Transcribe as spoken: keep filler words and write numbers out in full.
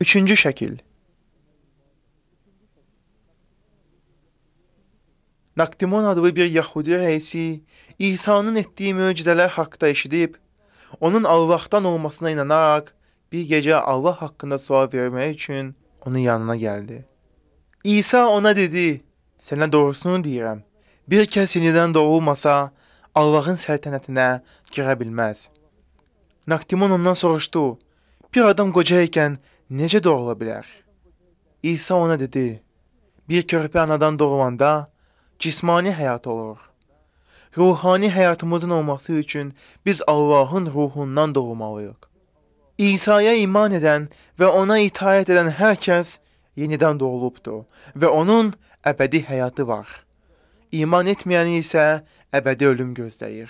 Üçüncü şəkil. Nakdimon adlı bir Yahudi rəisi İsa'nın etdiyi möcüzələr haqqında eşidib, onun Allahdan olmasına inanaraq bir gecə Allah haqqında sual vermək üçün onun yanına gəldi. İsa ona dedi, sənə doğrusunu deyirəm, bir kəs yenidən doğulmasa Allahın səltənətinə girə bilməz. Nakdimon ondan soruşdu, bir adam qoca ikən necə doğula bilər? İsa ona dedi, bir körpə anadan doğulanda cismani həyat olur. Ruhani həyatımızın olması üçün biz Allahın ruhundan doğmalıyıq. İsa'ya iman edən və ona itaət edən hər kəs yenidən doğulubdur və onun əbədi həyatı var. İman etməyəni isə əbədi ölüm gözləyir.